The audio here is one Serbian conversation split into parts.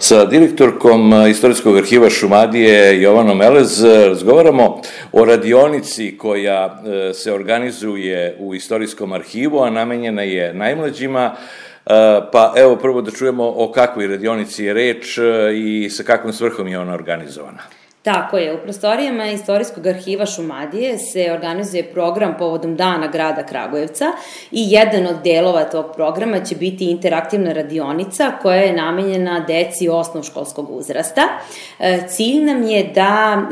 Sa direktorkom Istorijskog arhiva Šumadije Jovanom Elez razgovaramo o radionici koja se organizuje u Istorijskom arhivu, a namenjena je najmlađima. Pa evo prvo da čujemo o kakvoj radionici je reč i sa kakvom svrhom je ona organizovana. Tako je, u prostorijama Istorijskog arhiva Šumadije se organizuje program povodom Dana grada Kragujevca i jedan od delova tog programa će biti interaktivna radionica koja je namenjena deci osnovškolskog uzrasta. Cilj nam je da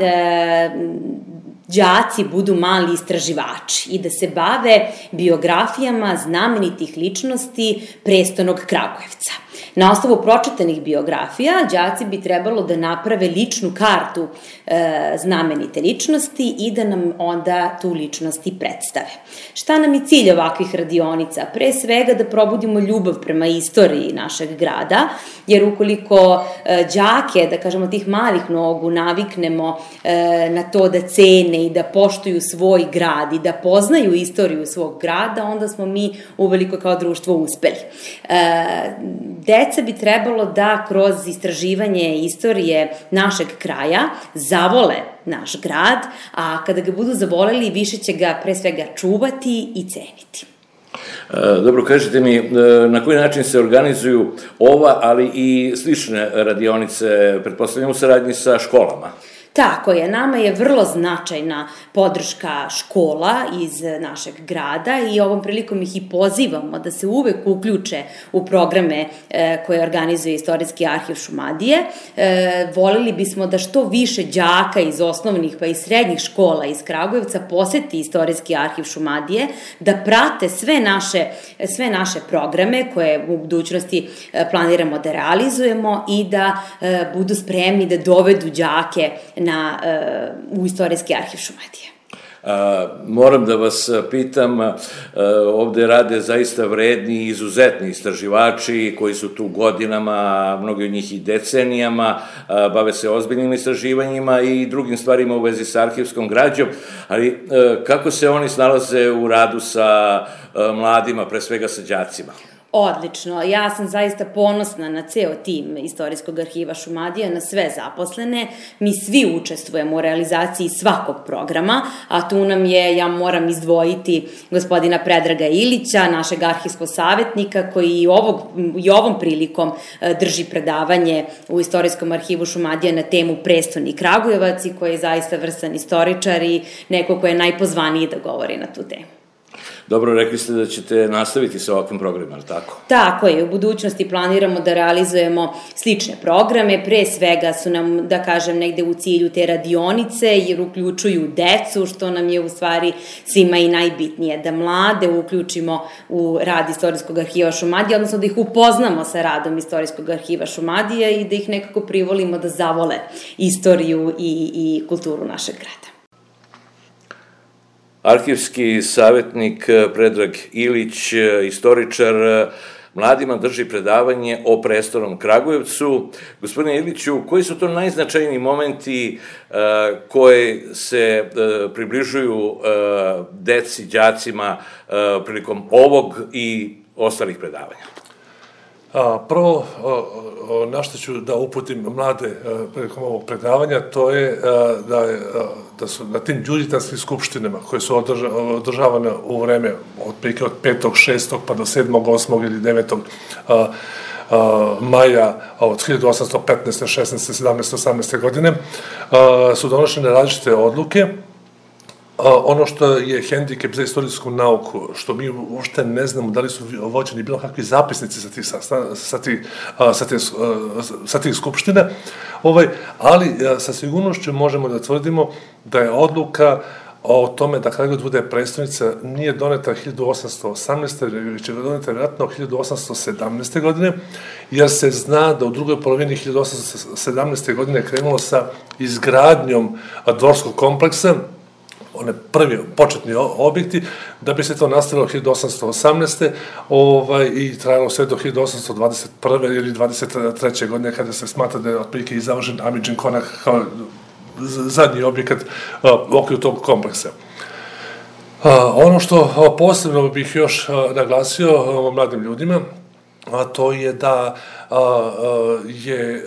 đaci budu mali istraživači i da se bave biografijama znamenitih ličnosti prestonog Kragujevca. Na osnovu pročitanih biografija, đaci bi trebalo da naprave ličnu kartu znamenite ličnosti i da nam onda tu ličnost i predstave. Šta nam je cilj ovakvih radionica? Pre svega da probudimo ljubav prema istoriji našeg grada, jer ukoliko đake, da kažemo tih malih nogu, naviknemo na to da cene i da poštuju svoj grad i da poznaju istoriju svog grada, onda smo mi uveliko kao društvo uspeli. Deca bi trebalo da kroz istraživanje istorije našeg kraja zavole naš grad, a kada ga budu zavoleli, više će ga pre svega čuvati i ceniti. Dobro, kažite mi, na koji način se organizuju ova, ali i slične radionice, pretpostavljam u saradnji sa školama? Tako je, nama je vrlo značajna podrška škola iz našeg grada i ovom prilikom ih i pozivamo da se uvek uključe u programe koje organizuje Istorijski arhiv Šumadije. Voleli bismo da što više đaka iz osnovnih pa i srednjih škola iz Kragujevca poseti Istorijski arhiv Šumadije, da prate sve naše programe koje u budućnosti planiramo da realizujemo i da budu spremni da dovedu đake u Istorijski arhiv Šumadije. Moram da vas pitam, ovde rade zaista vredni i izuzetni istraživači koji su tu godinama, mnogi od njih i decenijama, bave se ozbiljnim istraživanjima i drugim stvarima u vezi sa arhivskom građom, ali kako se oni snalaze u radu sa mladima, pre svega sa đacima? Odlično, ja sam zaista ponosna na ceo tim Istorijskog arhiva Šumadije, na sve zaposlene. Mi svi učestvujemo u realizaciji svakog programa, a tu nam je, ja moram izdvojiti gospodina Predraga Ilića, našeg arhivskog savjetnika, koji i ovom prilikom drži predavanje u Istorijskom arhivu Šumadije na temu Prestoni Kragujevac i koji je zaista vrstan istoričar i neko ko je najpozvaniji da govori na tu temu. Dobro, rekli ste da ćete nastaviti sa ovakvim programima, ali tako? Tako je, u budućnosti planiramo da realizujemo slične programe, pre svega su nam, da kažem, negde u cilju te radionice, jer uključuju decu, što nam je u stvari svima i najbitnije, da mlade uključimo u rad Istorijskog arhiva Šumadije, odnosno da ih upoznamo sa radom Istorijskog arhiva Šumadije i da ih nekako privolimo da zavole istoriju i kulturu našeg grada. Arhivski savjetnik Predrag Ilić, istoričar, mladima drži predavanje o prestonom Kragujevcu. Gospodine Iliću, koji su to najznačajniji momenti koji se približuju deci, đacima prilikom ovog i ostalih predavanja? Prvo, na što ću da uputim mlade prilikom ovog predavanja, to je da su na tim đuđitanskim skupštinama koje su održavane u vreme otprilike od 5. 6. pa do 7. 8. ili 9. maja od 1815. 16. 17. 18. godine su donošene različite odluke. Ono što je hendikep za istorijsku nauku, što mi uopšte ne znamo da li su vođeni bilo kakvi zapisnici sa tih skupština, ali sa sigurnošću možemo da tvrdimo da je odluka o tome da Kragujevac bude prestonica nije doneta 1818. već je doneta vjerojatno 1817. godine, jer se zna da u drugoj polovini 1817. godine krenulo sa izgradnjom dvorskog kompleksa, one prvi početni objekti, da bi se to nastavilo 1818. I trajalo sve do 1821. ili 23. godine, kada se smatra da je otprilike i završen Amidžin konak kao zadnji objekat u okviru tog kompleksa. Ono što posebno bih još naglasio mladim ljudima a to je da je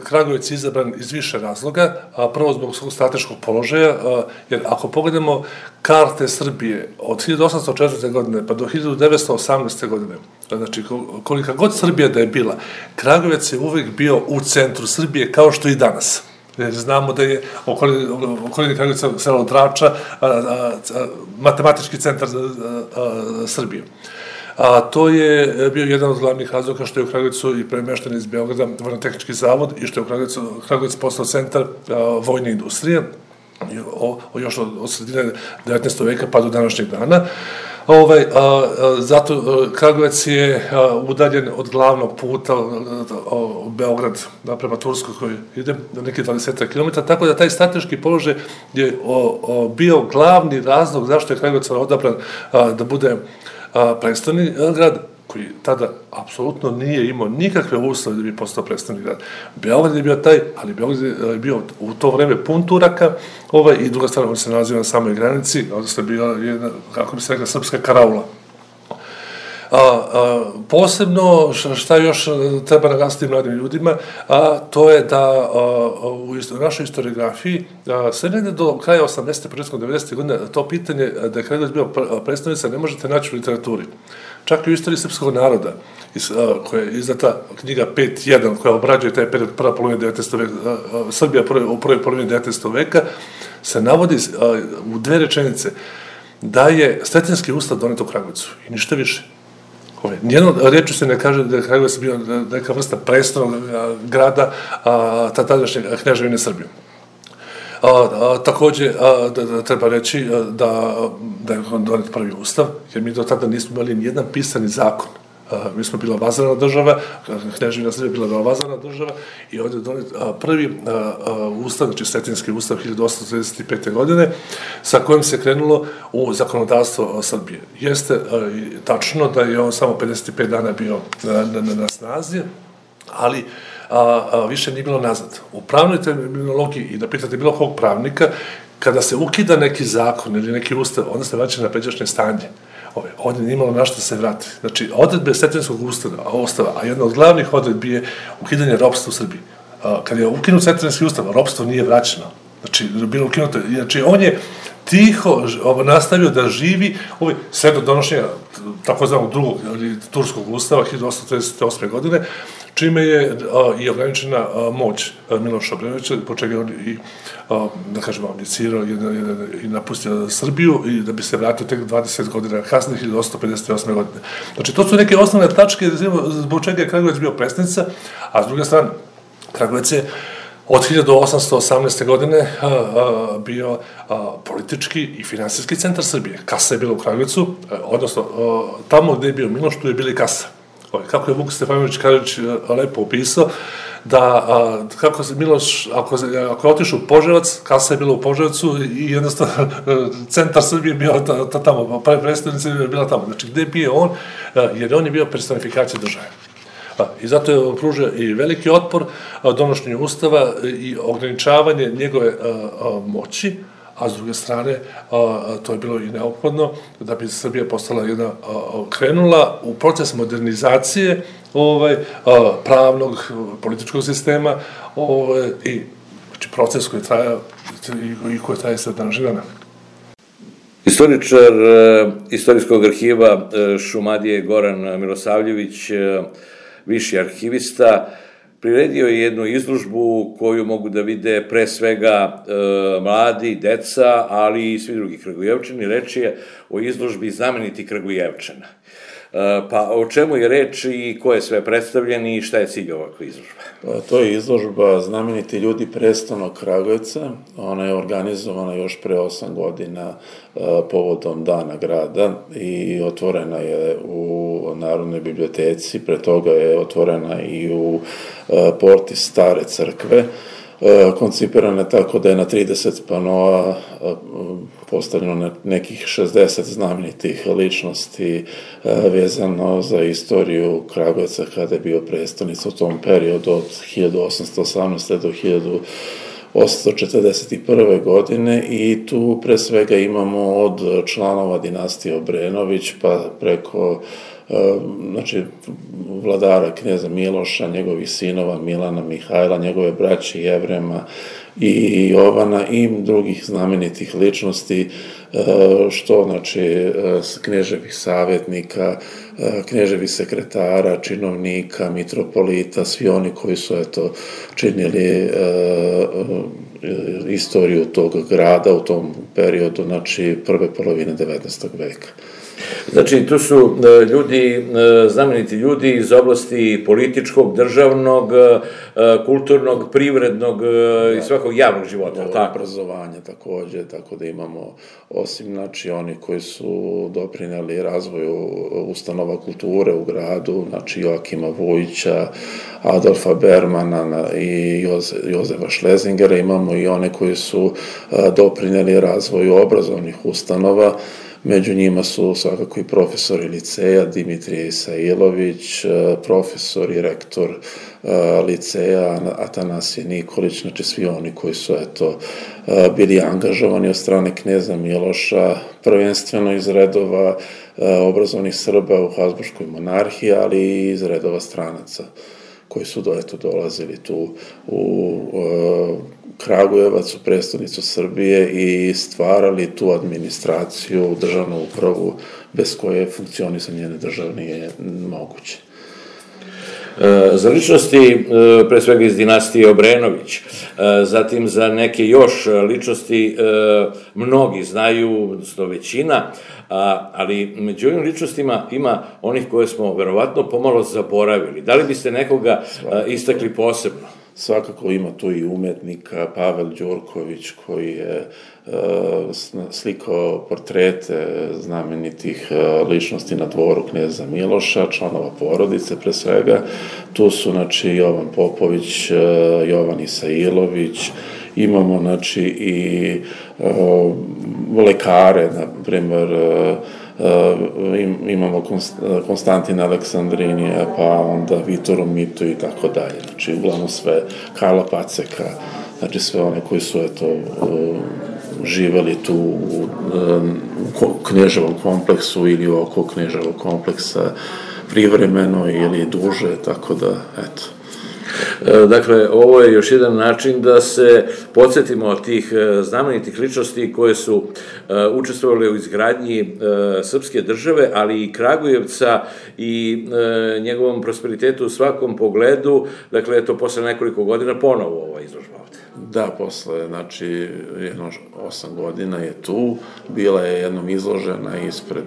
Kragujevac izabran iz više razloga, prvo zbog svog strateškog položaja, jer ako pogledamo karte Srbije od 1804. godine pa do 1918. godine, znači kolika god Srbija da je bila, Kragujevac je uvek bio u centru Srbije kao što i danas. Jer znamo da je okolini Kragujevca selo Drača, matematički centar Srbije. A to je bio jedan od glavnih razloga što je u Kragujevcu i premešten iz Beograda Vojno-tehnički zavod i što je u Kragujevac postao centar vojne industrije, još od sredine 19. veka pa do današnjeg dana. Zato Kragujevac je udaljen od glavnog puta u Beograd prema Turskoj koji ide na neki 20 km, tako da taj strateški položaj je bio glavni razlog zašto je Kragujevac odabran da bude prestoni grad, koji tada apsolutno nije imao nikakve uslove da bi postao prestoni grad. Beograd je bio taj, ali Beograd je bio u to vreme pun Turaka, i druga stvar, on se nalazi na samoj granici, odnosno je bila jedna, kako bi se rekla, srpska karaula. Posebno, šta još treba naglasiti mladim ljudima, to je da u našoj historiografiji sve negde do kraja 80. početkom 90. godine to pitanje da je Kragujevac bio predstavnica ne možete naći u literaturi. Čak i u istoriji srpskog naroda, koja je izdata knjiga 5.1, koja obrađuje taj period prva polovina 19. veka, Srbija u prvoj polovini 19. veka, se navodi u dve rečenice da je Sretenjski ustav donet u Kragujevcu i ništa više. Nijednom rečju se ne kaže da je Kragujevac bio neka vrsta prestonog grada tadašnje kneževine Srbije. Takođe, treba reći da je donet prvi ustav, jer mi do tada nismo imali nijedan pisani zakon. Mi smo bila vazalna država, kneževina Srbije bila vazalna država i ovdje je donet prvi ustav, znači Sretenjski ustav 1835. godine, sa kojim se krenulo u zakonodavstvo Srbije. Jeste tačno da je on samo 55 dana bio na snazi, ali više nije bilo nazad. U pravnoj terminologiji, i da pitate bilo kog pravnika, kada se ukida neki zakon ili neki ustav, onda se vraća na pređašnje stanje. Ovdje nije imalo na što se vrati. Znači, odredbe Sretenjskog ustava, a jedna od glavnih odredbi je ukidanje ropstva u Srbiji. Kad je ukinut Sretenjski ustav, ropstvo nije vraćeno. Znači, bilo ukinuto. Znači, on je tiho nastavio da živi sve do donošenja takozvanog drugog turskog ustava 1838. godine, čime je i ograničena moć Miloša Obrenovića, po čega je on i, da kažemo, abdicirao i napustio Srbiju i da bi se vratio tek 20 godina kasnije, 1858. godine. Znači, to su neke osnovne tačke zbog čega je Kragujevac bio prestolnica, a s druge strane, Kragujevac je od 1818. godine bio politički i finansijski centar Srbije. Kasa je bila u Kragujevcu, odnosno tamo gde je bio Miloš, tu je bila i kasa. Kako je Vuk Stefanović Karadžić lepo opisao, da kako se Miloš, ako je otišao u Požarevac, kasa je bila u Požarevcu i jednostavno centar Srbije je bio tamo, predstavnica je bila tamo. Znači, gde je bio on, jer on je bio personifikacija države. I zato je pružio i veliki otpor donošenju ustava i ograničavanje njegove moći, a s druge strane to je bilo i neophodno da bi Srbija postala krenula u proces modernizacije pravnog, političkog sistema i proces koji traja i koji traje sve današnjeg dana. Istoričar Istorijskog arhiva Šumadije Goran Milosavljević, viši arhivista, priredio je jednu izložbu koju mogu da vide pre svega mladi, deca, ali i svi drugi Kragujevčani. Reč je o izložbi Znameniti Kragujevčana. Pa o čemu je reč i ko je sve predstavljen i šta je cilj ovakve izložbe? To je izložba Znameniti ljudi prestolnog Kragujevca. Ona je organizovana još pre 8 godina povodom Dana grada i otvorena je u Narodnoj biblioteci, pre toga je otvorena i u porti Stare crkve. Koncipirana je tako da je na 30 panoa postavljeno nekih 60 znamenitih ličnosti vezano za istoriju Kragujevca kada je bio prestonica u tom periodu od 1818. do 1841. godine i tu pre svega imamo od članova dinastije Obrenović pa preko znači, vladara knjeza Miloša, njegovih sinova Milana, Mihajla, njegove braće Jevrema i Jovana i drugih znamenitih ličnosti, što, znači, knježevih savjetnika, knježevih sekretara, činovnika, mitropolita, svi oni koji su, eto, činili istoriju tog grada u tom periodu, znači, prve polovine 19. veka. Znači, tu su ljudi, znameniti ljudi iz oblasti političkog, državnog, kulturnog, privrednog i svakog javnog života, tako? Obrazovanje takođe, tako da imamo, osim, znači, oni koji su doprineli razvoju ustanova kulture u gradu, znači, Joakima Vujića, Adolfa Bermana i Jozefa Šlezingera, imamo i one koji su doprineli razvoju obrazovnih ustanova. Među njima su svakako i profesori liceja, Dimitrije Isailović, profesor i rektor liceja, Atanasije Nikolić, znači svi oni koji su, eto, bili angažovani od strane knjeza Miloša, prvenstveno iz redova obrazovnih Srba u Habsburškoj monarhiji, ali i iz redova stranaca koji su, eto, dolazili tu u Kragujevac, u prestonicu Srbije i stvarali tu administraciju, državnu upravu, bez koje funkcionisanje njene države nije moguće. Za ličnosti, pre svega iz dinastije Obrenović, zatim za neke još ličnosti mnogi znaju, odnosno većina, ali među ovim ličnostima ima onih koje smo verovatno pomalo zaboravili. Da li biste nekoga istakli posebno? Svakako ima tu i umetnika, Pavel Đurković, koji je slikao portrete znamenitih ličnosti na dvoru knjeza Miloša, članova porodice pre svega. Tu su, znači, Jovan Popović, Jovan Isailović, imamo, znači, i lekare, na primer, imamo Konstantina Aleksandrinija, pa onda Vitoru Mitu i tako dalje. Znači, uglavnom sve, Karla Paceka, znači sve one koji su, eto, živeli tu u knježevom kompleksu ili oko knježevog kompleksa privremeno ili duže, tako da, eto. Dakle, ovo je još jedan način da se podsjetimo od tih znamenitih ličnosti koje su učestvovali u izgradnji srpske države, ali i Kragujevca i njegovom prosperitetu u svakom pogledu. Dakle, eto, posle nekoliko godina ponovo ova izložba ovde. Da, posle, znači, jedno 8 godina je tu, bila je jednom izložena ispred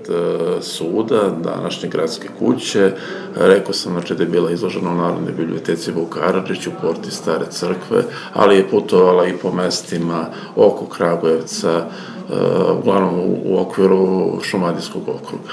suda, današnje gradske kuće, rekao sam, znači, da je bila izložena u Narodnoj biblioteci Vuk Karadžić u porti Stare crkve, ali je putovala i po mestima oko Kragujevca, uglavnom u okviru Šumadijskog okruga.